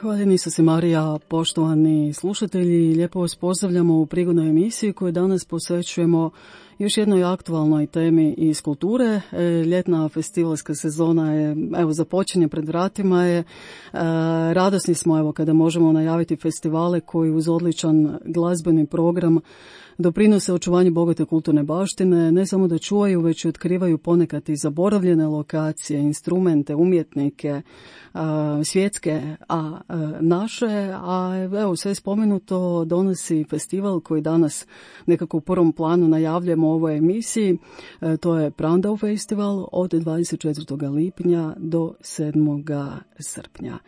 Hvaljeni Isuse Marija, poštovani slušatelji, lijepo vas pozdravljamo u prigodnoj emisiji koju danas posvećujemo još jednoj aktualnoj temi iz kulture. Ljetna festivalska sezona je, započinje pred vratima je. Radosni smo, kada možemo najaviti festivale koji uz odličan glazbeni program doprinose očuvanju bogate kulturne baštine, ne samo da čuvaju, već i otkrivaju ponekad i zaboravljene lokacije, instrumente, umjetnike, svjetske, a naše, sve spomenuto donosi festival koji danas nekako u prvom planu najavljamo u ovoj emisiji. To je Prandau festival od 24. lipnja do 7. srpnja.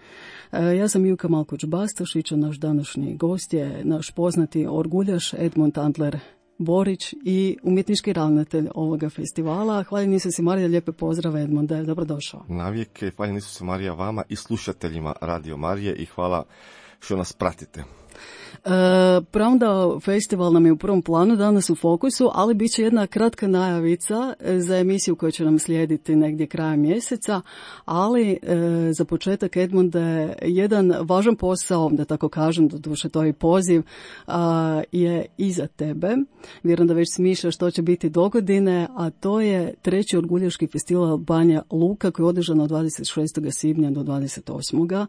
Ja sam Juka Malkoć-Bastašić, a naš današnji gost je naš poznati orguljaš Edmund Antler Borić i umjetnički ravnatelj ovoga festivala. Hvaljeni Isuse Marija, lijepe pozdrave Edmunde, dobrodošao. Navijek, hvaljeni Isuse Marija vama i slušateljima Radio Marije i hvala što nas pratite. Prandau festival nam je u prvom planu danas u fokusu, ali bit će jedna kratka najavica za emisiju koja će nam slijediti negdje krajem mjeseca, ali za početak, Edmunde, jedan važan posao, da tako kažem, doduše to je i poziv, je iza tebe. Vjerujem da već smišljaš što će biti dogodine, a to je treći orguljaški festival Banja Luka koji je održan od 26. svibnja do 28.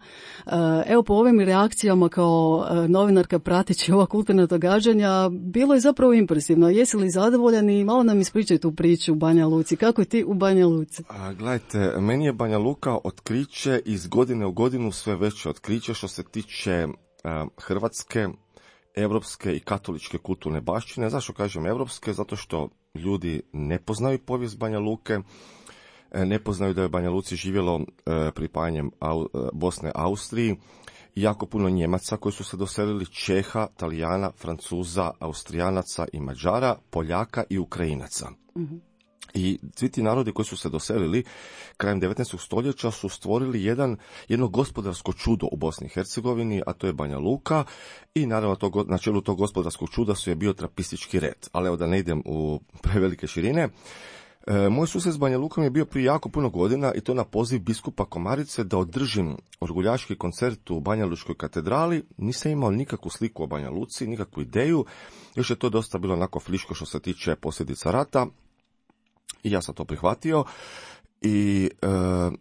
Evo, po ovim reakcijama kao novinarka prateći ova kulturna događanja, bilo je zapravo impresivno. Jesi li zadovoljan i malo nam ispričaj tu priču u Banja Luci. Kako je ti u Banja Luci? Gledajte, meni je Banja Luka otkriće, iz godine u godinu sve veće otkriće što se tiče hrvatske, europske i katoličke kulturne baštine. Zašto kažem europske? Zato što ljudi ne poznaju povijest Banja Luke, ne poznaju da je u Banja Luci živjelo pripajanjem Bosne Austriji jako puno Njemaca koji su se doselili, Čeha, Talijana, Francuza, Austrijanaca i Mađara, Poljaka i Ukrajinaca. Mm-hmm. I svi ti narodi koji su se doselili krajem 19. stoljeća su stvorili jedno gospodarsko čudo u Bosni i Hercegovini, a to je Banja Luka, i naravno na čelu tog gospodarskog čuda je bio trapistički red. Ali evo da ne idem u prevelike širine. Moj susjed s Banja Lukom je bio prije jako puno godina i to na poziv biskupa Komarice da održim orguljaški koncert u Banja Lučkoj katedrali. Nisam imao nikakvu sliku o Banja Luci, nikakvu ideju, još je to dosta bilo onako friško što se tiče posljedica rata i ja sam to prihvatio. I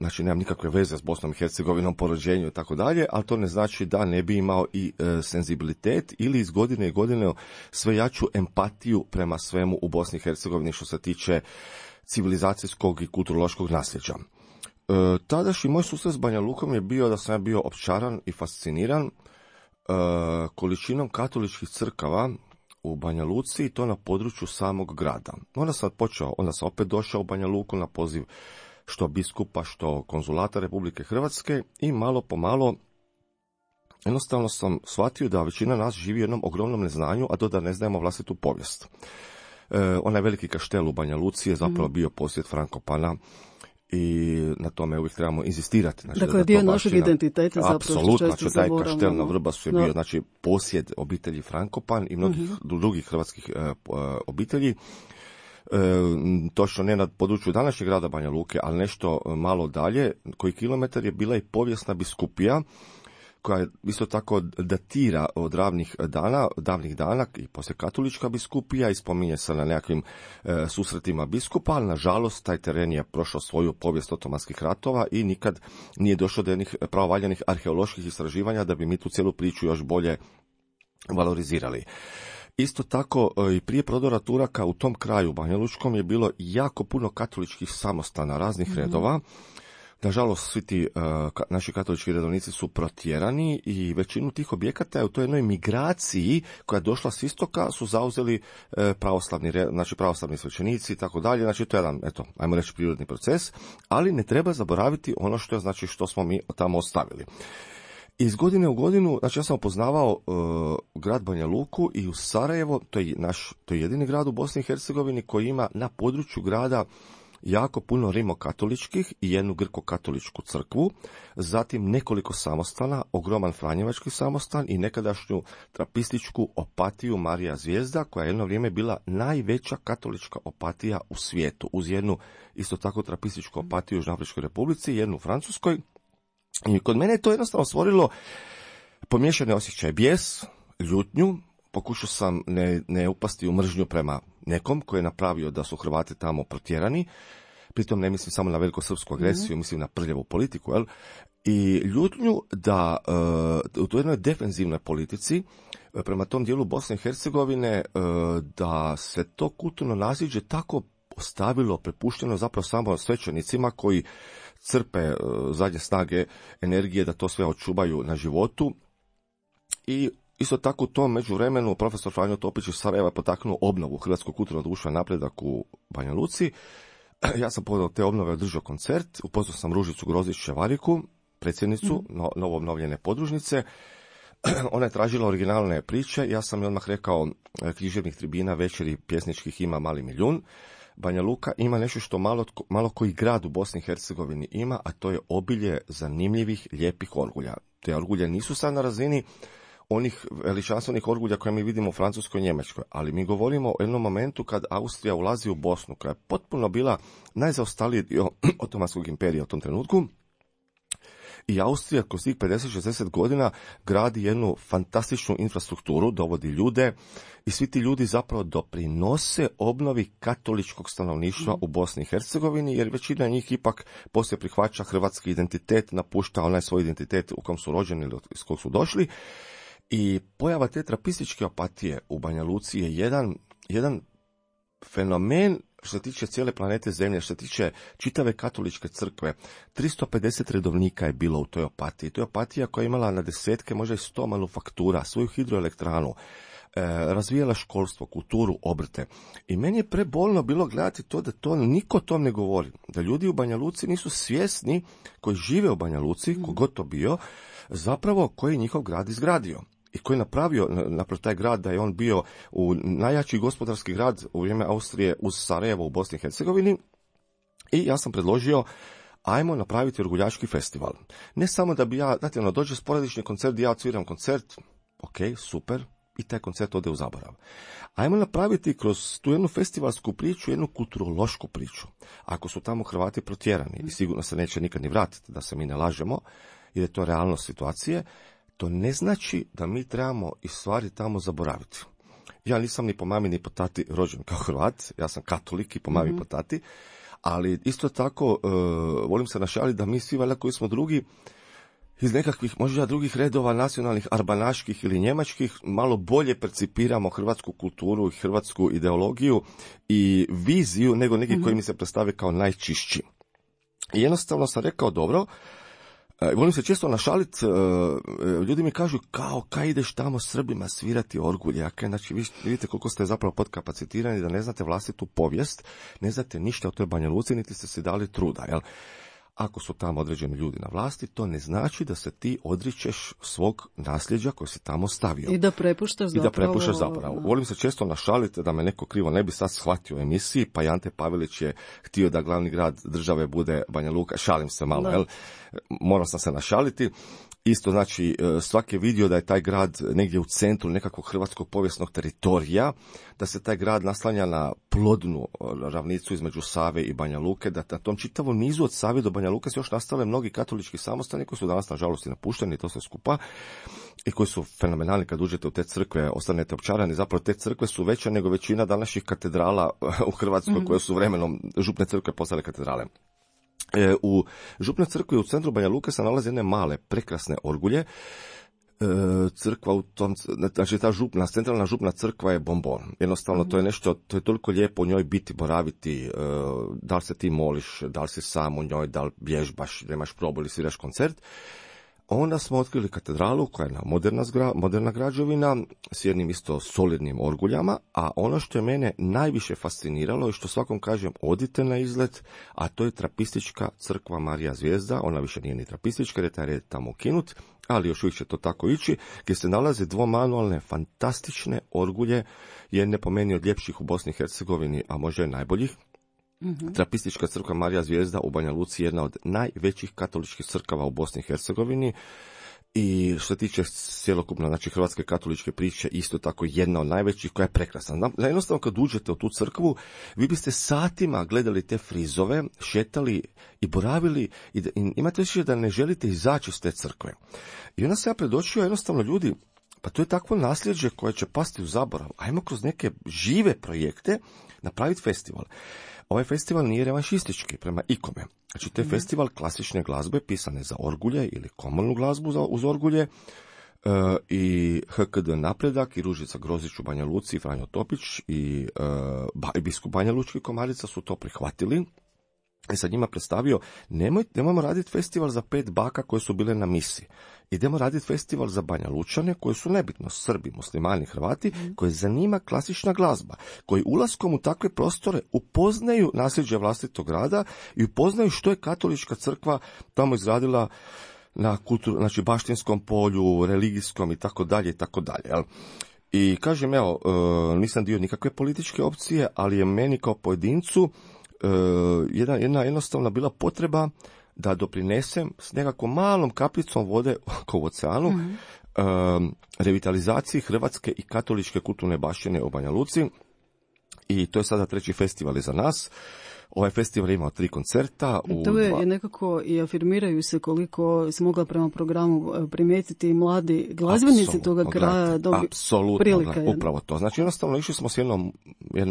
znači nemam nikakve veze s Bosnom i Hercegovinom po rođenju i tako dalje, ali to ne znači da ne bi imao i senzibilitet ili iz godine i godine sve jaču empatiju prema svemu u Bosni i Hercegovini što se tiče civilizacijskog i kulturološkog nasljeđa. Tadašnji moj susret s Banja Lukom je bio da sam ja bio opčaran i fasciniran količinom katoličkih crkava u Banja Luci i to na području samog grada. Onda sam opet došao u Banja Luku na poziv što biskupa, što konzulata Republike Hrvatske i malo po malo jednostavno sam shvatio da većina nas živi u jednom ogromnom neznanju, a to da ne znamo vlastitu povijest. Onaj veliki kaštel u Banja Luci je zapravo bio posjed Frankopana i na tome uvijek trebamo inzistirati. Znači, dakle, dio našeg identiteta zapravo. Apsolutno, znači taj kaštel na Vrbasu je bio znači, posjed obitelji Frankopan i mnogih drugih hrvatskih obitelji. Točno ne na području današnjeg grada Banja Luke, ali nešto malo dalje, koji kilometar je bila i povijesna biskupija, koja isto tako datira od davnih dana i poslije katolička biskupija i spominje se na nekakvim susretima biskupa, ali nažalost taj teren je prošao svoju povijest otomanskih ratova i nikad nije došlo do jednih pravovaljanih arheoloških istraživanja da bi mi tu cijelu priču još bolje valorizirali. Isto tako i prije prodora Turaka u tom kraju Banjalučkom je bilo jako puno katoličkih samostana raznih redova. Nažalost, svi ti naši katolički redovnici su protjerani i većinu tih objekata u toj jednoj migraciji koja je došla s istoka su zauzeli pravoslavni svećenici i tako dalje. Znači, to je jedan, ajmo reći, prirodni proces, ali ne treba zaboraviti ono što smo mi tamo ostavili. Iz godine u godinu, znači ja sam upoznavao grad Banja Luku i u Sarajevo, to je jedini grad u Bosni i Hercegovini koji ima na području grada jako puno rimokatoličkih i jednu grko-katoličku crkvu, zatim nekoliko samostana, ogroman franjevački samostan i nekadašnju trapističku opatiju Marija Zvijezda, koja je jedno vrijeme bila najveća katolička opatija u svijetu, uz jednu isto tako trapističku opatiju u Južnoafričkoj Republici, jednu u Francuskoj. I kod mene je to jednostavno stvorilo pomiješani osjećaj, bijes, ljutnju, pokušao sam ne upasti u mržnju prema nekom koji je napravio da su Hrvati tamo protjerani, pritom ne mislim samo na velikosrpsku agresiju, mislim na prljavu politiku, jel? I ljutnju da u toj jednoj defenzivnoj politici prema tom dijelu Bosne i Hercegovine da se to kulturno nasljeđe tako ostavilo, prepušteno zapravo samo svećenicima koji crpe zadnje snage, energije da to sve očuvaju na životu. I isto tako u tom međuvremenu profesor Franjo Topić iz Sarajeva potaknuo obnovu hrvatskog kulturnog društva napredak u Banja Luci. Ja sam povodom te obnove održao koncert, upoznao sam Ružicu Grozić-Čevariku, predsjednicu novo obnovljene podružnice. Ona je tražila originalne priče, ja sam joj odmah rekao književnih tribina, večeri pjesničkih ima mali milijun. Banja Luka ima nešto što malo koji grad u Bosni i Hercegovini ima, a to je obilje zanimljivih, lijepih orgulja. Te orgulje nisu sad na razini onih veličanstvenih orgulja koje mi vidimo u Francuskoj i Njemačkoj, ali mi govorimo o jednom momentu kad Austrija ulazi u Bosnu, koja je potpuno bila najzaostaliji dio Otomanskog imperija u tom trenutku. I Austrija kroz tih 50-60 godina gradi jednu fantastičnu infrastrukturu, dovodi ljude i svi ti ljudi zapravo doprinose obnovi katoličkog stanovništva u Bosni i Hercegovini, jer većina njih ipak poslije prihvaća hrvatski identitet, napušta onaj svoj identitet u kom su rođeni ili iz kog su došli. I pojava te trapističke apatije u Banja Luci je jedan fenomen što se tiče cijele planete Zemlje, što se tiče čitave katoličke crkve. 350 redovnika je bilo u toj apatiji. To je apatija koja je imala na desetke, možda i 100 manufaktura, svoju hidroelektranu, razvijala školstvo, kulturu, obrte. I meni je prebolno bilo gledati to da to niko o tom ne govori. Da ljudi u Banja Luci nisu svjesni, koji žive u Banja Luci, kogod to bio, zapravo koji je njihov grad izgradio. I koji je napravio taj grad da je on bio u najjači gospodarski grad u vrijeme Austrije uz Sarajevo u Bosni i Hercegovini. I ja sam predložio, ajmo napraviti orguljaški festival. Ne samo da bi dođe sporadični koncert gdje ja odsviram koncert, ok, super, i taj koncert ode u zaborav. Ajmo napraviti kroz tu jednu festivalsku priču, jednu kulturološku priču. Ako su tamo Hrvati protjerani i sigurno se neće nikad ni vratiti, da se mi ne lažemo, jer je to realnost situacije, to ne znači da mi trebamo i stvari tamo zaboraviti. Ja nisam ni po mami ni po tati rođen kao Hrvat, ja sam katolik i po mami i po tati, ali isto tako volim se našaliti da mi svi valjda koji smo drugi iz nekakvih možda drugih redova nacionalnih, arbanaških ili njemačkih, malo bolje percipiramo hrvatsku kulturu i hrvatsku ideologiju i viziju nego neki koji mi se predstave kao najčišći. I jednostavno sam rekao, dobro, volim se često našaliti, ljudi mi kažu kaj ideš tamo Srbima svirati orgulje, znači vi vidite koliko ste zapravo podkapacitirani da ne znate vlastitu povijest, ne znate ništa o toj Banja Luci, niti ste si dali truda, jel? Ako su tamo određeni ljudi na vlasti, to ne znači da se ti odričeš svog nasljeđa koje si tamo stavio. I da prepuštaš zapravo. Volim se često našaliti da me neko krivo ne bi sad shvatio u emisiji, pa i Ante Pavelić je htio da glavni grad države bude Banja Luka. Šalim se malo, jel? Morao sam se našaliti. Isto znači, svaki je vidio da je taj grad negdje u centru nekakvog hrvatskog povijesnog teritorija, da se taj grad naslanja na plodnu ravnicu između Save i Banja Luke, da na tom čitavom nizu od Save do Banja Luke se još nastale mnogi katolički samostani koji su danas nažalost i napušteni, to sve skupa, i koji su fenomenalni. Kad uđete u te crkve, ostanete opčarani, zapravo te crkve su veće nego većina današnjih katedrala u Hrvatskoj koje su vremenom župne crkve postale katedrale. U župnoj crkvi u centru Banja Luke se nalaze jedne male, prekrasne orgulje. Crkva u tom, znači ta centralna župna crkva je bombon. Jednostavno to je nešto, to je toliko lijepo u njoj biti, boraviti, da li se ti moliš, da li si sam u njoj, da li vježbaš, da imaš probu ili sviraš koncert. Onda smo otkrili katedralu koja je moderna građevina s jednim isto solidnim orguljama, a ono što je mene najviše fasciniralo i što svakom kažem odite na izlet, a to je trapistička crkva Marija Zvijezda. Ona više nije ni trapistička jer je taj red tamo ukinut, ali još uvijek će to tako ići, gdje se nalaze dvomanualne fantastične orgulje, jedne po meni od ljepših u Bosni i Hercegovini, a možda i najboljih. Trapistička crkva Marija Zvijezda u Banja Luci je jedna od najvećih katoličkih crkava u Bosni i Hercegovini I što se tiče cjelokupno, znači hrvatske katoličke priče, isto tako jedna od najvećih koja je prekrasna. Jednostavno kad uđete u tu crkvu, vi biste satima gledali te frizove, šetali i boravili i imate više da ne želite izaći iz te crkve. I onda se ja predočio jednostavno ljudi, pa to je takvo nasljeđe koje će pasti u zaborav. Ajmo kroz neke žive projekte napraviti festival. Ovaj festival nije revanšistički prema ikome. Znači, to je festival klasične glazbe pisane za orgulje ili komornu glazbu uz orgulje i HKD Napredak i Ružica Grozić u Banja Luci i Franjo Topić i biskup Banja Lučki Komarica su to prihvatili. I sad njima predstavio, nemojmo raditi festival za 5 baka koje su bile na misi. Idemo raditi festival za Banja Lučane koji su nebitno Srbi, muslimani, Hrvati, koje zanima klasična glazba, koji ulaskom u takve prostore upoznaju nasljeđe vlastitog grada i upoznaju što je katolička crkva tamo izradila na znači baštinskom polju, religijskom i tako dalje i tako dalje. I kažem, evo, nisam dio nikakve političke opcije, ali je meni kao pojedincu jedna jednostavna bila potreba da doprinesem s nekakvom malom kapljicom vode oko oceanu revitalizaciji hrvatske i katoličke kulturne baštine u Banja Luci. I to je sada 3. festival za nas. Ovaj festival je imao 3 koncerta. To je nekako i afirmiraju se, koliko se mogla prema programu primijetiti, mladi glazbenici toga kraja dobiju prilike. Upravo to. Znači jednostavno išli smo s jednom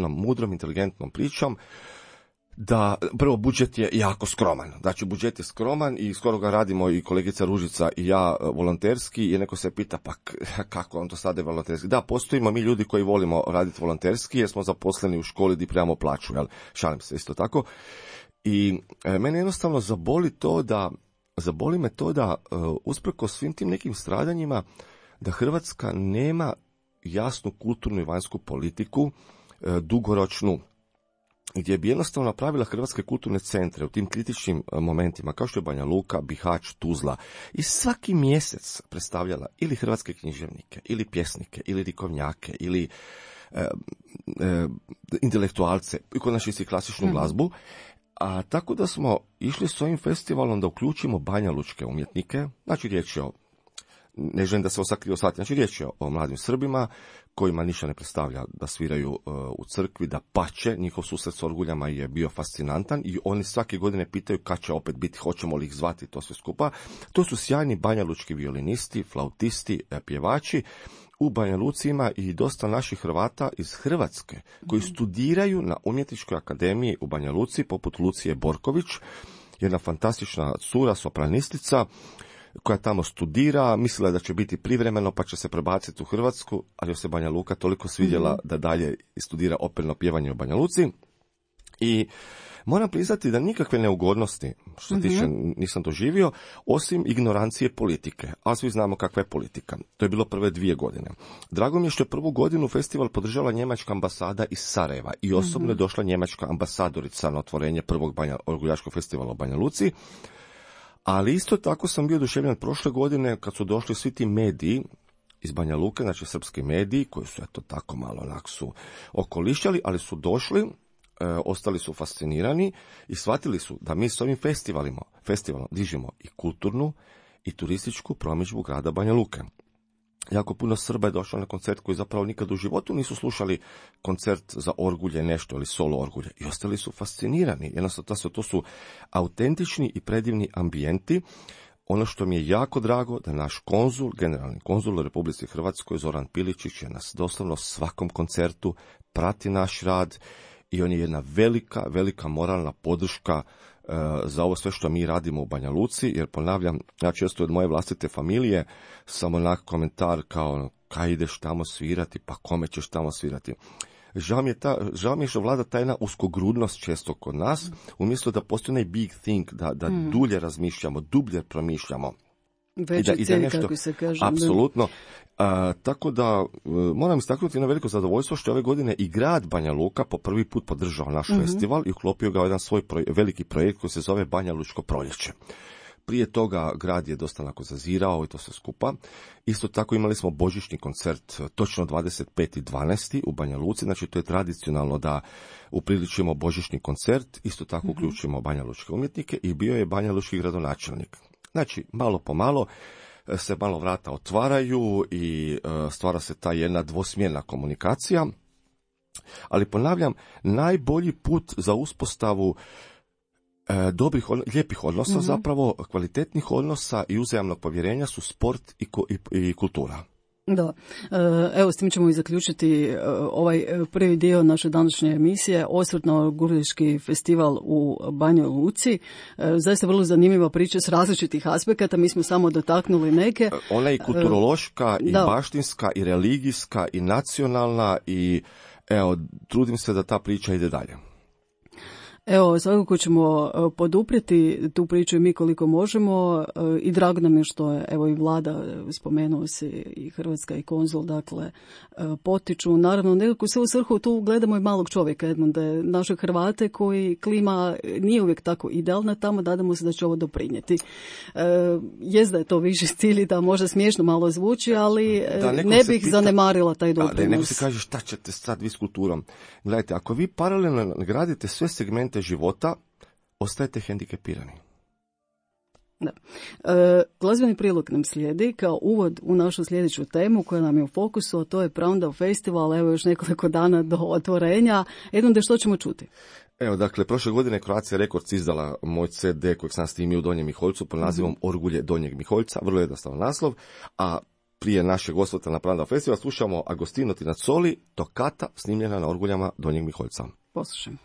mudrom, inteligentnom pričom da prvo budžet je jako skroman. Znači budžet je skroman i skoro ga radimo i kolegica Ružica i ja volonterski i neko se pita pa kako on to sada je volonterski. Da, postojimo mi ljudi koji volimo raditi volonterski jer smo zaposleni u školi gdje primamo plaću, jel? Šalim se isto tako. I mene jednostavno zaboli me to da usprkos svim tim nekim stradanjima da Hrvatska nema jasnu kulturnu i vanjsku politiku, dugoročnu, gdje bi jednostavno napravila hrvatske kulturne centre u tim kritičnim momentima, kao što je Banja Luka, Bihać, Tuzla, i svaki mjesec predstavljala ili hrvatske književnike, ili pjesnike, ili likovnjake, ili intelektualce, i konačnici klasičnu glazbu. A tako da smo išli s ovim festivalom da uključimo banjalučke umjetnike, znači riječ je o, ne želim da se osakrio shvatiti, znači riječ je o mladim Srbima kojima ništa ne predstavlja da sviraju u crkvi, da pače, njihov susret s orguljama je bio fascinantan i oni svake godine pitaju kad će opet biti, hoćemo li ih zvati, to sve skupa. To su sjajni banjalučki violinisti, flautisti, pjevači. U Banja Luci ima i dosta naših Hrvata iz Hrvatske koji studiraju na Umjetničkoj akademiji u Banja Luci, poput Lucije Borković, jedna fantastična cura, sopranistica, koja tamo studira, mislila da će biti privremeno pa će se prebaciti u Hrvatsku, ali joj se Banja Luka toliko svidjela da dalje studira operno pjevanje u Banja Luci. I moram priznati da nikakve neugodnosti, što se tiče, nisam doživio, osim ignorancije politike. A svi znamo kakva je politika. To je bilo prve 2 godine. Drago mi je što je prvu godinu festival podržala njemačka ambasada iz Sarajeva i osobno je došla njemačka ambasadorica na otvorenje prvog orguljaškog festivala u Banja Luci. Ali isto tako sam bio oduševljen prošle godine kad su došli svi ti mediji iz Banja Luke, znači srpski mediji, koji su eto tako malo onak su okolišćali, ali su došli, ostali su fascinirani i shvatili su da mi s ovim festivalom dižemo i kulturnu i turističku promidžbu grada Banja Luke. Jako puno Srba je došlo na koncert koji zapravo nikad u životu nisu slušali koncert za orgulje nešto ili solo orgulje i ostali su fascinirani. Jednostavno to su autentični i predivni ambijenti. Ono što mi je jako drago da naš konzul, generalni konzul u Republici Hrvatskoj, Zoran Piličić, je nas doslovno svakom koncertu prati naš rad i on je jedna velika moralna podrška za ovo sve što mi radimo u Banja Luci, jer ponavljam, ja često od moje vlastite familije sam onak komentar kao kaj ideš tamo svirati, pa kome ćeš tamo svirati. Žao mi je što vlada ta jedna uskogrudnost često kod nas, umjesto da postoji onaj big think, da dulje razmišljamo, dublje promišljamo. Veći cilj, kako se kaže. Apsolutno. Tako da moram istaknuti na veliko zadovoljstvo što je ove godine i grad Banja Luka po prvi put podržao naš festival i uklopio ga u jedan svoj veliki projekt koji se zove Banja Lučko proljeće. Prije toga grad je dosta onako zazirao i to sve skupa. Isto tako imali smo božićni koncert točno 25.12. u Banja Luci, znači to je tradicionalno da upriličimo božićni koncert, isto tako uključimo Banja Lučke umjetnike i bio je Banja Lučki gradonačelnik. Znači, malo po malo, se malo vrata otvaraju i stvara se ta jedna dvosmjerna komunikacija. Ali ponavljam, najbolji put za uspostavu dobrih, lijepih odnosa, zapravo kvalitetnih odnosa i uzajamnog povjerenja su sport i kultura. Da, evo s tim ćemo i zaključiti ovaj prvi dio naše današnje emisije, osvrt na Gurliški festival u Banjoj Luci. Zaista vrlo zanimljiva priča s različitih aspekata, mi smo samo dotaknuli neke. Ona je i kulturološka, i baštinska, i religijska, i nacionalna, i evo, trudim se da ta priča ide dalje. Evo, svakako ćemo poduprijeti tu priču i mi koliko možemo i drago nam je što je, evo i vlada, spomenuo se i Hrvatska i konzul, dakle, potiču. Naravno, nekako se u svrhu tu gledamo i malog čovjeka, Edmunde, naše Hrvate koji klima nije uvijek tako idealna tamo, nadamo se da će ovo doprinijeti. Jest da je to viši cilj i da možda smiješno malo zvuči, ali ne bih zanemarila taj doprinos. Neko se kaže šta ćete sad vi s kulturom. Gledajte, ako vi paralelno gradite sve segmente života, ostajete hendikepirani. Da. Glazbeni prilog nam slijedi kao uvod u našu sljedeću temu koja nam je u fokusu, a to je Proundao festival, evo još nekoliko dana do otvorenja. Edmunde, što ćemo čuti? Evo, dakle, prošle godine Croatia Records izdala moj CD kojeg sam snimio u Donjem Miholjcu pod nazivom Orgulje Donjeg Miholjca, vrlo jednostavan naslov, a prije našeg osvrta na Proundao festival slušamo Agostino Tinazzoli, Tokata, snimljena na orguljama Donjeg Miholjca. Poslušajmo.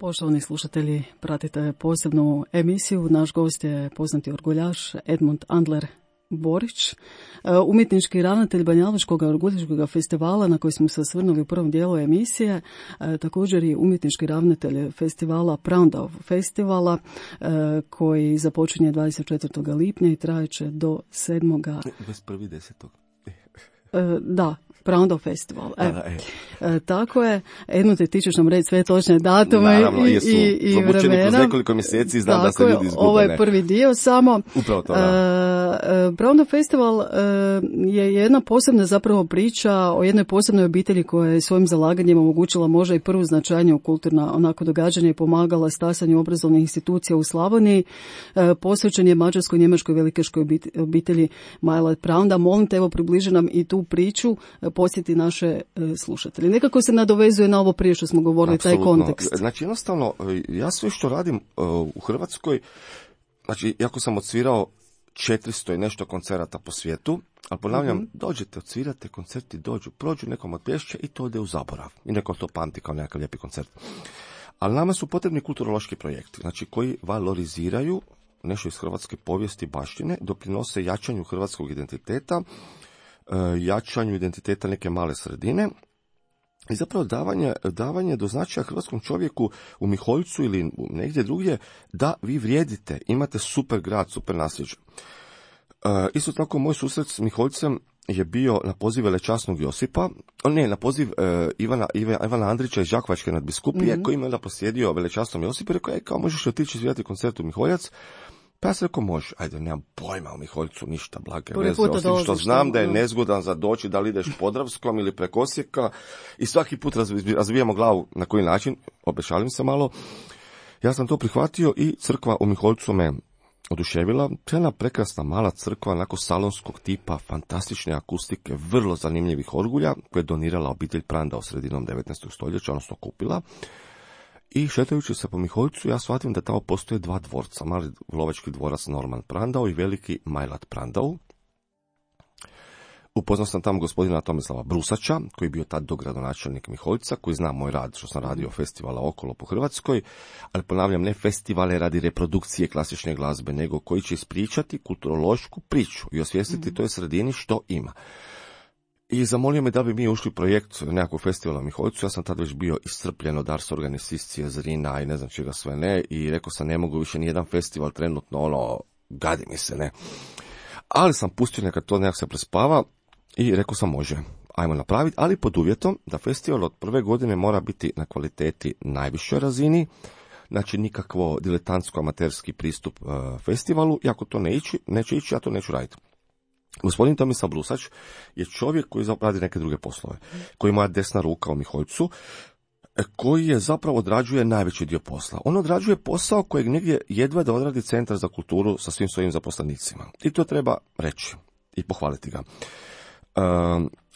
Poštovani slušatelji, pratite posebnu emisiju. Naš gost je poznati orguljaš Edmund Andler Borić, umjetnički ravnatelj Banjalučkog orguljaškog festivala na koji smo se osvrnuli u prvom dijelu emisije, također i umjetnički ravnatelj festivala Prandov festivala koji započinje 24. lipnja i trajeće do 7. 21.10. Da, Prandov festival. Tako je. Edmund, ti ćeš nam reći sve točne datume i vremena. Kroz nekoliko mjeseci znam da se ljudi izgube. Ovo je prvi dio samo. Upravo to, Prandov festival je jedna posebna zapravo priča o jednoj posebnoj obitelji koja je svojim zalaganjem omogućila možda i prvu značajniju kulturna onako događanja i pomagala stasanju obrazovnih institucija u Slavoniji. Posvećen je mađarskoj-njemačkoj velikeškoj obitelji Majlat Pranda. Molim te, evo, približi nam i tu priču, posjeti naše slušatelji. Nekako se nadovezuje na ovo prije što smo govorili, apsolutno, taj kontekst. Znači, jednostavno, ja sve što radim u Hrvatskoj, znači, jako sam odsvirao 400 i nešto koncerata po svijetu, ali ponavljam, dođete, odsvirate, koncerti dođu, prođu, nekom otpješće i to ode u zaborav. I neko to pamti kao nekakav lijepi koncert. Ali nama su potrebni kulturološki projekti, znači koji valoriziraju nešto iz hrvatske povijesti i baštine, doprinose jačanju hrvatskog identiteta, jačanju identiteta neke male sredine i zapravo davanje do značaja hrvatskom čovjeku u Miholjcu ili negdje drugdje da vi vrijedite, imate super grad, super nasljeđe. Isto tako moj susret s Miholjcem je bio na poziv velečasnog Josipa, na poziv Ivana Andrića iz Đakovačke nadbiskupije, koji me da posjedio velečasnom Josipu i rekao, kao možeš otići svirati koncert u Miholjac? Pa ja sam rekao, može, ajde, nemam pojma u Miholjcu, ništa, blage veze, osim što znam da je nezgodan za doći, da li ideš Podravskom ili preko Osijeka i svaki put razvijamo glavu na koji način, obešalim se malo. Ja sam to prihvatio i crkva u Miholjcu me oduševila. To je jedna prekrasna mala crkva, onako salonskog tipa, fantastične akustike, vrlo zanimljivih orgulja, koje je donirala obitelj Pranda u sredinom 19. stoljeća, odnosno kupila. I šetajući se po Miholjcu, ja shvatim da tamo postoje dva dvorca, mali lovački dvorac Norman Prandau i veliki Majlat Prandau. Upoznao sam tamo gospodina Tomislava Brusača, koji je bio tad dogradonačelnik Miholjca, koji zna moj rad što sam radio festivala okolo po Hrvatskoj, ali ponavljam, ne festivale radi reprodukcije klasične glazbe, nego koji će ispričati kulturološku priču i osvijestiti toj sredini što ima. I zamolio me da bi mi ušli u projekt nekakvog festivala u Miholjcu. Ja sam tad već bio iscrpljen od Ars Organizacije, Zrina i ne znam čega sve ne. I rekao sam, ne mogu više nijedan festival trenutno, gadi mi se, ne. Ali sam pustio neka to nekak se prespava i rekao sam, može, ajmo napraviti, ali pod uvjetom da festival od prve godine mora biti na kvaliteti najvišoj razini. Znači nikakvo diletantsko-amaterski pristup festivalu. I ako to neće ići, ja to neću raditi. Gospodin Tomislav Brusač je čovjek koji radi neke druge poslove, koji je moja desna ruka u Miholjcu, koji je zapravo odrađuje najveći dio posla. On odrađuje posao kojeg negdje jedva da odradi Centar za kulturu sa svim svojim zaposlenicima. I to treba reći i pohvaliti ga.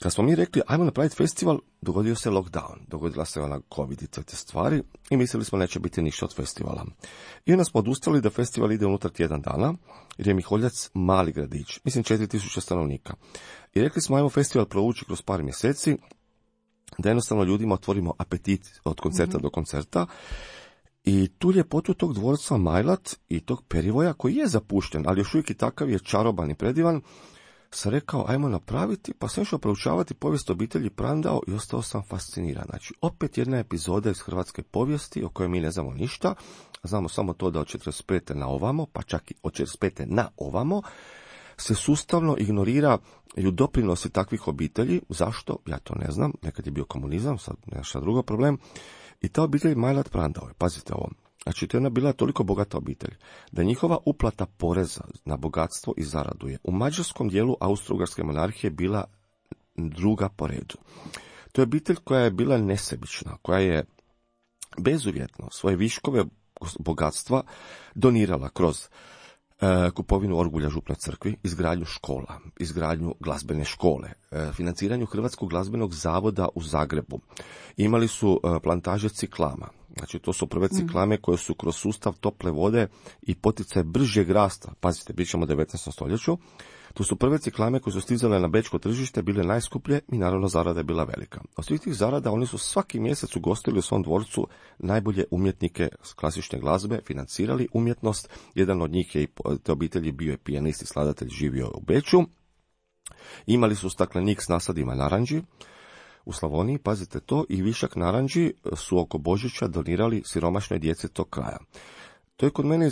Kad smo mi rekli, ajmo napraviti festival, dogodio se lockdown, dogodila se ona COVID i te stvari i mislili smo neće biti ništa od festivala. I onda smo odustali da festival ide unutar tjedan dana, jer je Miholjac mali gradić, mislim 4000 stanovnika. I rekli smo, ajmo festival provući kroz par mjeseci, da jednostavno ljudima otvorimo apetit od koncerta do koncerta. I tu ljepotu tog dvorca Majlat i tog Perivoja, koji je zapušten, ali još uvijek i takav je čaroban i predivan, sam rekao, ajmo napraviti, pa sam išao proučavati povijest obitelji Prandau i ostao sam fasciniran. Znači, opet jedna epizoda iz hrvatske povijesti o kojoj mi ne znamo ništa, znamo samo to da od 45. na ovamo, pa čak i od 45. na ovamo, se sustavno ignorira i doprinosi takvih obitelji. Zašto? Ja to ne znam. Nekad je bio komunizam, sad nešto drugo problem. I ta obitelj Majlat Prandau, pazite ovo. Znači, to je ona bila toliko bogata obitelj, da njihova uplata poreza na bogatstvo i zaradu je u mađarskom dijelu Austro-Ugarske monarhije bila druga po redu. To je obitelj koja je bila nesebična, koja je bezuvjetno svoje viškove bogatstva donirala kroz kupovinu orgulja župnoj crkvi, izgradnju škola, izgradnju glazbene škole, financiranju Hrvatskog glazbenog zavoda u Zagrebu. Imali su plantaže ciklama. Znači, to su prve ciklame koje su kroz sustav tople vode i poticaj bržeg rasta, pazite, pričamo o 19. stoljeću, Tu su prve ciklame koje su stizale na bečko tržište bile najskuplje i naravno zarada je bila velika. Od svih tih zarada oni su svaki mjesec ugostili u svom dvorcu najbolje umjetnike klasične glazbe, financirali umjetnost. Jedan od njih je i te obitelji bio je pijanist i skladatelj, živio u Beču. Imali su staklenik s nasadima naranđi u Slavoniji, pazite to, i višak naranđi su oko Božića donirali siromašnoj djeci tog kraja. To je kod mene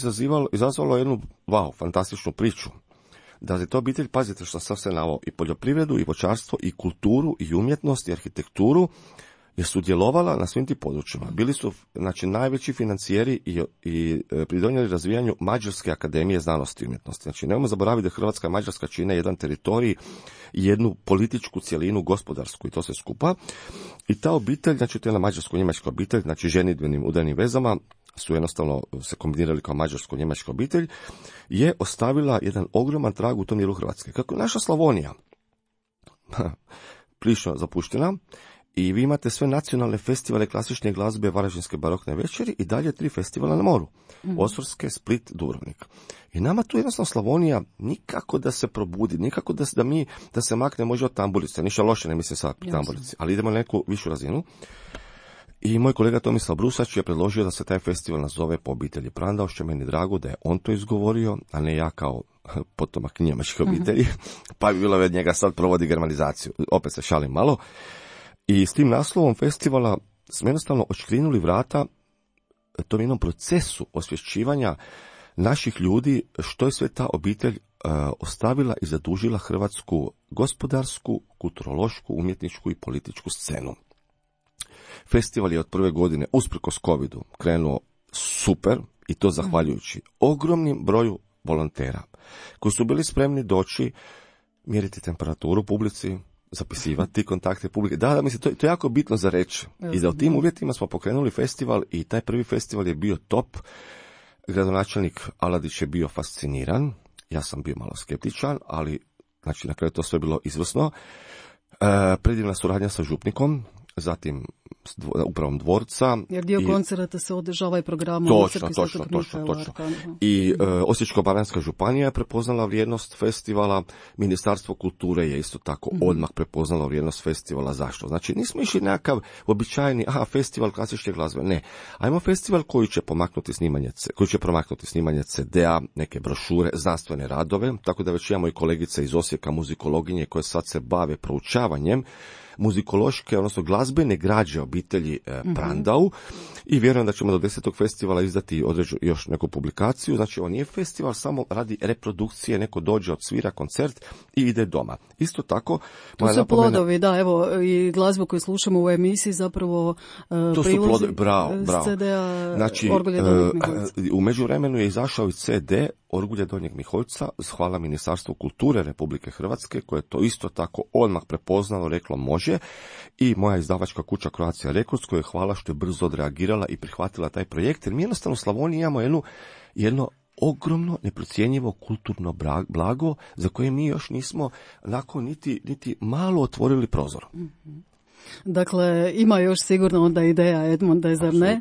izazvalo jednu fantastičnu priču. Da je to obitelj, pazite što sam se naveo, i poljoprivredu, i voćarstvo, i kulturu, i umjetnost, i arhitekturu, je sudjelovala na svim tim područjima. Bili su, znači, najveći financijeri i pridonijeli razvijanju Mađarske akademije znanosti i umjetnosti. Znači, nemojmo zaboraviti da Hrvatska i Mađarska čine jedan teritorij i jednu političku cjelinu, gospodarsku, i to se skupa. I ta obitelj, znači, to je jedna mađarsko-njemačka obitelj, znači ženidbenim udarnim vezama, su jednostavno se kombinirali kao mađarsko-njemačka obitelj, je ostavila jedan ogroman trag u tom dijelu Hrvatske. Kako je naša Slavonija prilično zapuštena, i vi imate sve nacionalne festivale klasične glazbe, Varaždinske barokne večeri i dalje 3 festivala na moru. Osorske, Split, Dubrovnik. I nama tu jednostavno Slavonija nikako da se probudi, nikako da se makne može od tamburice. Ništa loše, ne mislim sa tamburici, ali idemo na neku višu razinu. I moj kolega Tomislav Brusač je predložio da se taj festival nazove po obitelji Prandao, što je meni drago da je on to izgovorio, a ne ja kao potomak njemačke obitelji, pa bi bilo od njega sad provodi germanizaciju. Opet se šalim malo. I s tim naslovom festivala smo jednostavno odškrinuli vrata tom jednom procesu osvješćivanja naših ljudi što je sve ta obitelj ostavila i zadužila hrvatsku gospodarsku, kulturološku, umjetničku i političku scenu. Festival je od prve godine, usprkos covidu, krenuo super, i to zahvaljujući ogromnim broju volontera koji su bili spremni doći, mjeriti temperaturu publici, zapisivati kontakte publike. Da, mislim, to je jako bitno za reći. I da u tim uvjetima smo pokrenuli festival i taj prvi festival je bio top. Gradonačelnik Aladić je bio fasciniran. Ja sam bio malo skeptičan, ali znači na kraju to sve bilo izvrsno. Predivna suradnja sa župnikom, zatim upravom dvorca. Jer dio koncerata se održava i programom. Točno. I Osječko-baranjska županija je prepoznala vrijednost festivala, Ministarstvo kulture je isto tako odmah prepoznalo vrijednost festivala. Zašto? Znači nismo išli nekakav običajni festival klasične glazbe, ne. Ajmo festival koji će promaknuti snimanje CD-a, neke brošure, znanstvene radove, tako da već imamo i kolegice iz Osijeka, muzikologinje, koje sad se bave proučavanjem muzikološke, odnosno glazbene građe obitelji Prandau, i vjerujem da ćemo do 10. festivala izdati još neku publikaciju. Znači, ovo nije festival samo radi reprodukcije, neko dođe, odsvira koncert i ide doma. Isto tako... To su plodovi, da, evo, i glazbu koju slušamo u emisiji zapravo to su plodovi, bravo. CD-a, znači, Orgulje Donjeg Miholjca. U međuvremenu je izašao i CD Orgulje Donjeg Miholjca, hvala Ministarstvu kulture Republike Hrvatske, koje je to isto tako odmah prepoznalo, reklo može, i moja izdavačka kuća Croatia Records, koja je hvala što je brzo odreagirala i prihvatila taj projekt, jer mi jednostavno u Slavoniji imamo jedno ogromno, neprocjenjivo kulturno blago za koje mi još nismo onako niti malo otvorili prozor. Dakle, ima još sigurno onda ideja Edmonda, zar ne?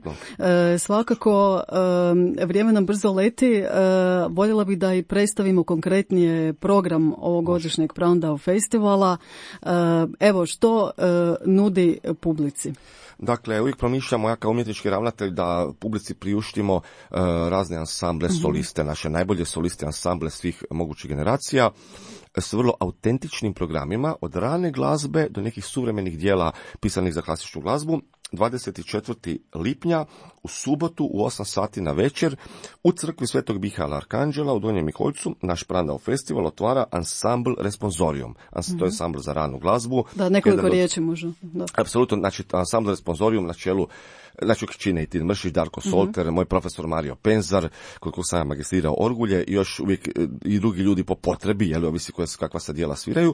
Svakako, vrijeme nam brzo leti. Voljela bih da i predstavimo konkretnije program ovogodišnjeg Prandau festivala. Evo, što nudi publici? Dakle, uvijek promišljamo, ja kao umjetnički ravnatelj, da publici priuštimo razne ansamble, soliste, naše najbolje soliste, ansamble svih mogućih generacija, s vrlo autentičnim programima, od rane glazbe do nekih suvremenih dijela pisanih za klasičnu glazbu. 24. lipnja u subotu u 8 sati na večer u crkvi Svetog Mihaela Arkanđela u Donjem Miholjcu naš Prandau festival otvara Ansambl Responsorium. To je ansambl za ranu glazbu. Da, nekoliko riječi možda. Apsolutno, znači Ansambl Responsorium na čelu, znači čine i Tin Mršić, Darko Solter, moj profesor Mario Penzar, koliko sam magistrirao orgulje, i još uvijek i drugi ljudi po potrebi, ovisi kakva se djela sviraju.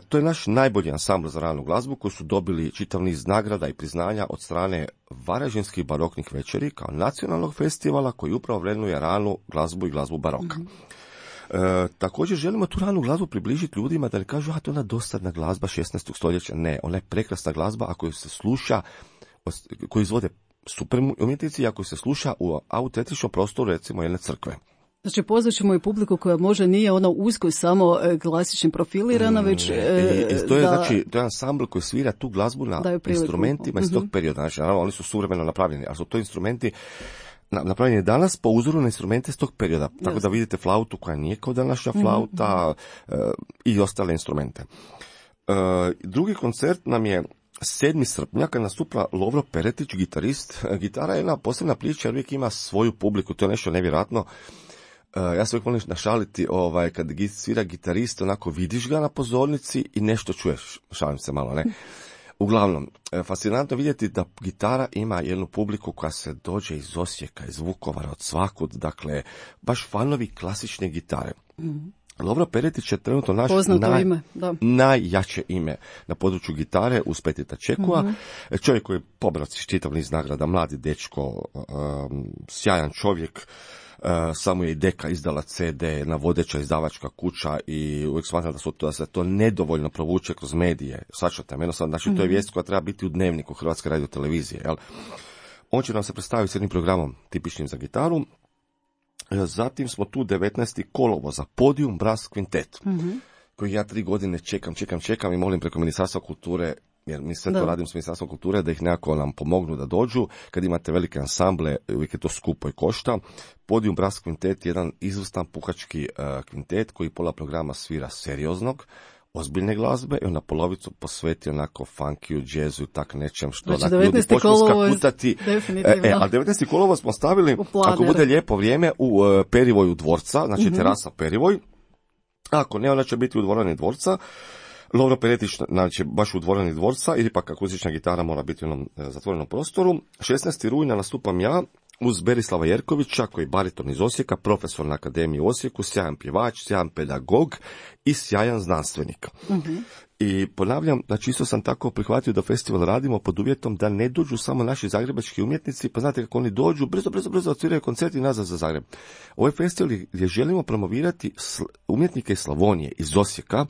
To je naš najbolji ansambl za ranu glazbu koji su dobili čitav niz nagrada i priznanja od strane Varaždinskih baroknih večeri kao nacionalnog festivala koji upravo vrednuje ranu glazbu i glazbu baroka. Također želimo tu ranu glazbu približiti ljudima da ne kažu, to je ona dosadna glazba 16. stoljeća. Ne, ona je prekrasna glazba ako se sluša, koju izvode super umjetnici, ako se sluša u autentičnom prostoru, recimo jedne crkve. Znači, pozvat ćemo i publiku koja može nije ono usko samo klasični profilirana, već to je znači, to je ansambl koji svira tu glazbu na instrumentima iz tog perioda. Znači, naravno, oni su suvremeno napravljeni, ali su to instrumenti napravljeni danas po uzoru na instrumente iz tog perioda. Tako da vidite flautu koja nije kao današnja flauta i ostale instrumente. Drugi koncert nam je 7. srpnja kad nastupa Lovro Peretić, gitarist. Gitara je jedna posebna priča jer uvijek ima svoju publiku, to je nešto nevjerojatno. Ja se uvijek volim našaliti, kad svira gitarist, onako vidiš ga na pozornici i nešto čuješ, šalim se malo, ne? Uglavnom, fascinantno vidjeti da gitara ima jednu publiku koja se dođe iz Osijeka, iz Vukovara, od svakud, dakle, baš fanovi klasične gitare. Lovro Peretić je trenutno naš najjače ime na području gitare uz Petita Čekua. Čovjek koji je pobrao čitav niz nagrada, mladi dečko, sjajan čovjek. Samo je i Deka izdala CD, na vodeća izdavačka kuća i uvijek smatram da se to nedovoljno provuče kroz medije. Svačate, jednostavno, znači to je vijest koja treba biti u dnevniku Hrvatske radiotelevizije. Jel? On će nam se predstaviti s jednim programom tipičnim za gitaru. Zatim smo tu 19. kolovoza, Podium Brass Quintet, koji ja 3 godine čekam i molim preko Ministarstva kulture, jer mi sve to radim s Ministarstvom kulture, da ih nekako nam pomognu da dođu. Kad imate velike ansamble, uvijek je to skupo i košta. Podium Brass Quintet je jedan izvrstan puhački kvintet koji pola programa svira serioznog, ozbiljne glazbe i onda polovicu posveti onako funkiju, džezu i tak nečem što znači, ljudi počnu skakutati. A 19. kolovoz smo stavili, ako bude lijepo vrijeme, u Perivoju dvorca, znači terasa Perivoj. Ako ne, ona će biti u dvorani dvorca. Lovro Peretić, znači baš u dvorani dvorca, ili pak akustična gitara mora biti u jednom zatvorenom prostoru. 16. rujna nastupam ja uz Berislava Jerkovića, koji je bariton iz Osijeka, profesor na Akademiji u Osijeku, sjajan pjevač, sjajan pedagog i sjajan znanstvenik. I ponavljam, znači isto sam tako prihvatio da festival radimo pod uvjetom da ne dođu samo naši zagrebački umjetnici, pa znate kako oni dođu, brzo odsviraju koncerti i nazad za Zagreb. Ovaj festival gdje želimo promovirati umjetnike iz Slavonije, iz Osijeka,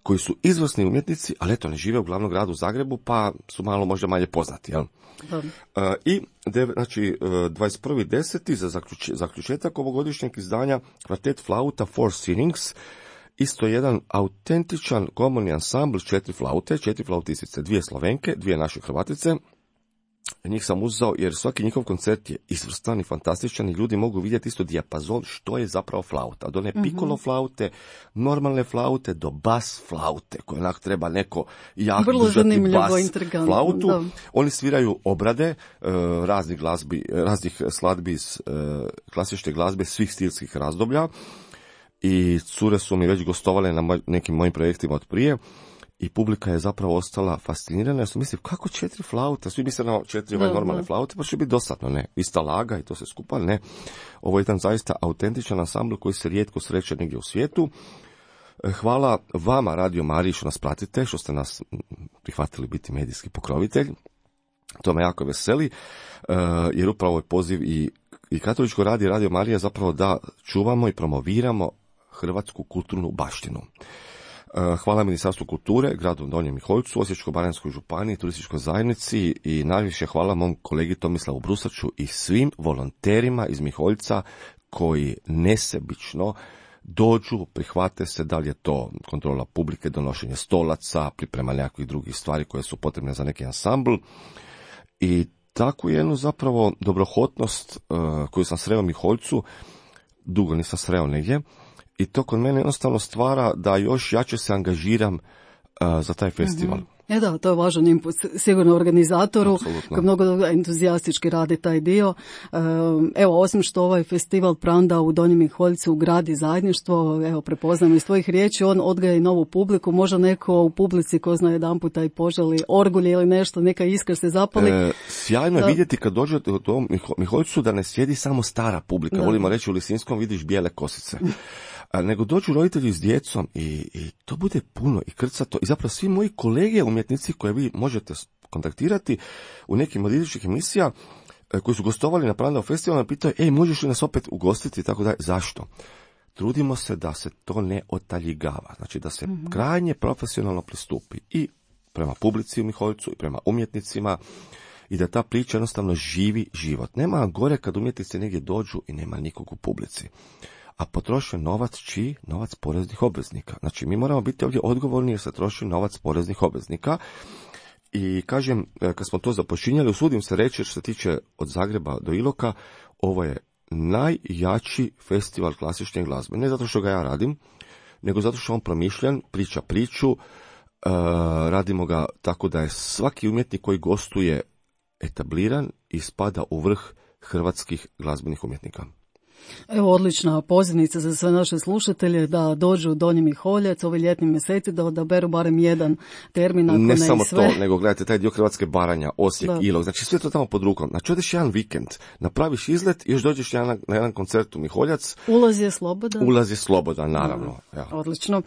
koji su izvrsni umjetnici, ali eto ne žive u glavnom gradu Zagrebu, pa su malo možda manje poznati, jel? I znači 21.10. za zaključetak ovogodišnjeg izdanja kvartet flauta Four Sinnings, isto jedan autentičan komorni ansambl, 4 flautistice, 2 Slovenke, 2 naše Hrvatice. Njih sam uzeo jer svaki njihov koncert je izvrstan i fantastičan i ljudi mogu vidjeti isto dijapazon što je zapravo flauta. Od one piccolo flaute, normalne flaute do bas flaute, koje onak treba neko jako držati bas flautu. Da. Oni sviraju obrade raznih skladbi iz klasične glazbe svih stilskih razdoblja i cure su mi već gostovale na nekim mojim projektima od prije. I publika je zapravo ostala fascinirana, jer su mislili kako 4 flaute, svi misle na 4 normalne flaute, pa će biti dosadno, ne, ista laga i to se skupa, ne. Ovo je jedan zaista autentičan ansambl koji se rijetko sreće negdje u svijetu. Hvala vama, Radio Mariji, što nas pratite, što ste nas prihvatili biti medijski pokrovitelj. To me jako veseli, jer upravo je poziv i Katoličko Radio Marija zapravo da čuvamo i promoviramo hrvatsku kulturnu baštinu. Hvala Ministarstvu kulture, gradu Donjem Miholjcu, Osječko-baranjskoj županiji, turističkoj zajednici i najviše hvala mom kolegi Tomislavu Brusaču i svim volonterima iz Miholjca koji nesebično dođu, prihvate se, da li je to kontrola publike, donošenje stolaca, priprema nekakvih drugih stvari koje su potrebne za neki ansambl. I takvu jednu zapravo dobrohotnost koju sam sreo u Miholjcu, dugo nisam sreo negdje, i to kod mene jednostavno stvara da još jače se angažiram za taj festival. Da, to je važan input sigurno organizatoru, koji mnogo entuzijastički radi taj dio. Evo, osim što ovaj festival Pranda u Donjem Miholjcu gradi zajedništvo, evo, prepoznamo iz tvojih riječi, on odgaja i novu publiku, možda neko u publici ko zna jedan puta i poželi orgulje ili nešto, neka iskra se zapali. Sjajno je vidjeti kad dođete u tom Miholjcu da ne sjedi samo stara publika, volimo reći u Lisinskom vidiš bijele kosice. Nego dođu roditelji s djecom i to bude puno i krcato. I zapravo svi moji kolege umjetnici koje vi možete kontaktirati u nekim od idućih emisija koji su gostovali na Prandao festivalu, pitaju, možeš li nas opet ugostiti i tako dalje. Zašto? Trudimo se da se to ne otaljigava, znači da se krajnje profesionalno pristupi i prema publici u Miholjcu i prema umjetnicima i da ta priča jednostavno živi život. Nema gore kad umjetnici negdje dođu i nema nikog u publici. a potrošen novac čiji? Novac poreznih obveznika. Znači, mi moramo biti ovdje odgovorni jer se troši novac poreznih obveznika. I kažem, kad smo to započinjali, usudim se reći, što se tiče od Zagreba do Iloka, ovo je najjači festival klasične glazbe. Ne zato što ga ja radim, nego zato što on promišljen, priča priču, radimo ga tako da je svaki umjetnik koji gostuje etabliran i spada u vrh hrvatskih glazbenih umjetnika. Evo, odlična pozivnica za sve naše slušatelje da dođu u Donji Miholjac ovi ljetni mjeseci, da odaberu barem jedan termin, ako ne samo sve. to, nego gledajte taj dio Hrvatske, Baranja, Osijek, Ilok, znači sve to tamo pod rukom. Znači odeš jedan vikend, napraviš izlet i još dođeš na jedan koncert u Miholjac. Ulaz je slobodan. Ulaz je slobodan, naravno. Ja. Odlično.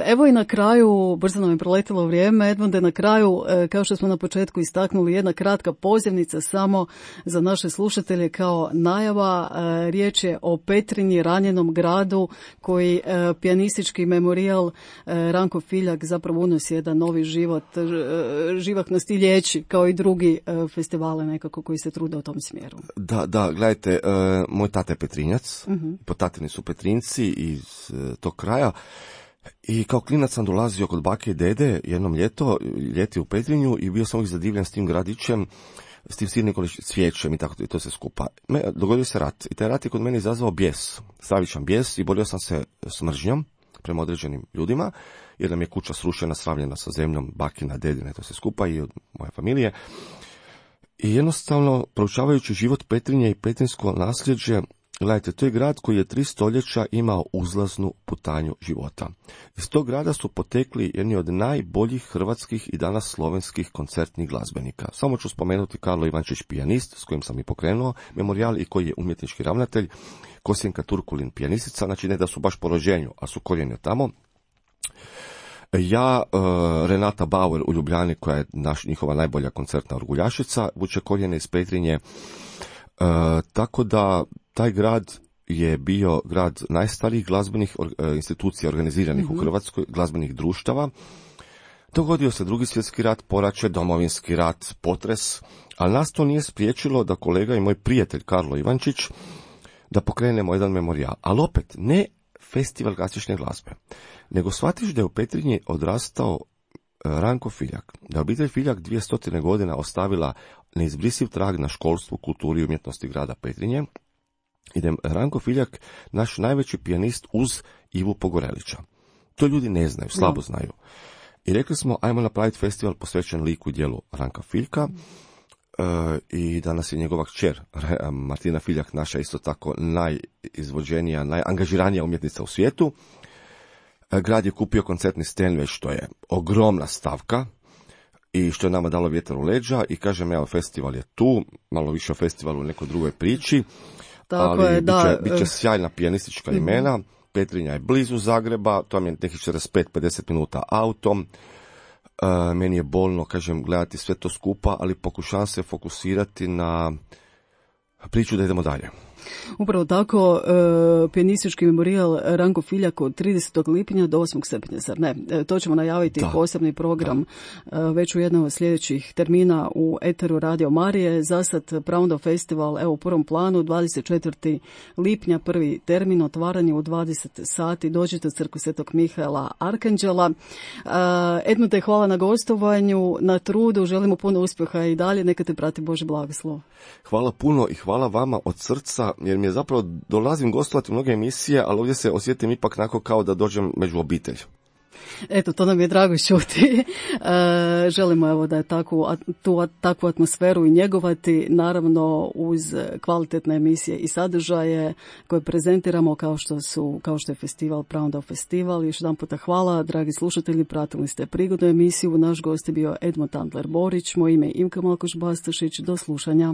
Evo i na kraju, brzo nam je proletilo vrijeme, Edmunde, na kraju, kao što smo na početku istaknuli, jedna kratka pozivnica samo za naše slušatelje kao najava. Riječ je o Petrinji, ranjenom gradu koji pijanistički memorijal Ranko Filjak zapravo unosi jedan novi život, živahnost i liječi, kao i drugi festivale nekako koji se trude u tom smjeru. Da, gledajte, moj tata je Petrinjac, po tatini su Petrinjci iz tog kraja. I kao klinac sam dolazio kod bake i dede jednom ljeti u Petrinju i bio sam uvijek zadivljen s tim gradićem, s tim silnim cvijećem i tako, i to se skupa. Dogodio se rat i taj rat je kod mene izazvao bijes, stravičan bijes, i borio sam se s mržnjom prema određenim ljudima, jer nam je kuća srušena, sravljena sa zemljom, bakina, dedine, to se skupa i od moje familije. I jednostavno, proučavajući život Petrinje i petrinjsko nasljeđe, gledajte, to je grad koji je 3 stoljeća imao uzlaznu putanju života. Iz tog grada su potekli jedni od najboljih hrvatskih i danas slovenskih koncertnih glazbenika. Samo ću spomenuti Karlo Ivančić, pijanist, s kojim sam i pokrenuo memorijal i koji je umjetnički ravnatelj, Kosjenka Turkulin, pijanistica, znači ne da su baš po rođenju, a su korijeni tako. Ja, Renata Bauer u Ljubljani, koja je njihova najbolja koncertna orguljašica, vuče korijene iz Petrinje, tako da taj grad je bio grad najstarijih glazbenih institucija organiziranih u Hrvatskoj, glazbenih društava. Dogodio se Drugi svjetski rat, poraće, Domovinski rat, potres, ali nas to nije spriječilo da kolega i moj prijatelj Karlo Ivančić da pokrenemo jedan memorijal. Ali opet, ne festival klasične glazbe, nego shvatiš da je u Petrinji odrastao Ranko Filjak, da je obitelj Filjak 200 godina ostavila neizbrisiv trag na školstvu, kulturi i umjetnosti grada Petrinje, i da je Ranko Filjak naš najveći pijanist uz Ivu Pogorelića. To ljudi ne znaju, slabo znaju. I rekli smo, ajmo napraviti festival posvećen liku i djelu Ranka Filjka, i danas je njegova kćer Martina Filjak, naša isto tako najizvođenija, najangažiranija umjetnica u svijetu. Grad je kupio koncertni Stenway, što je ogromna stavka i što je nama dalo vjetar u leđa, i kažem, evo, festival je tu, malo više o festivalu u nekoj drugoj priči, tako ali bit će sjajna pijanistička imena. Petrinja je blizu Zagreba, to je nekih 45-50 minuta autom. Meni je bolno, kažem, gledati sve to skupa, ali pokušavam se fokusirati na priču da idemo dalje. Upravo tako, pijanistički memorijal Ranko Filjak od 30. lipnja do 8. srpnja, zar ne? To ćemo najaviti posebni program već u jednom od sljedećih termina u eteru Radio Marije. Zasad Praundo Festival, evo, u prvom planu, 24. lipnja, prvi termin, otvaranje u 20 sati. Dođite u crkvu Svetog Mihaela Arkanđela. Edmunde, hvala na gostovanju, na trudu, želimo puno uspjeha i dalje, neka te prati Božji blagoslov. Hvala puno i hvala vama od srca, jer mi je zapravo, dolazim gostovati u mnoge emisije, ali ovdje se osjetim ipak onako kao da dođem među obitelj. Eto, to nam je drago čuti. Želimo, evo, da je takvu atmosferu i njegovati, naravno uz kvalitetne emisije i sadržaje koje prezentiramo kao što je festival Praundo Festival. Još jedan puta hvala, dragi slušatelji, pratili ste prigodnu emisiju. Naš gost je bio Edmund Antler Borić, moje ime je Imka Malkoš Bastašić. Do slušanja.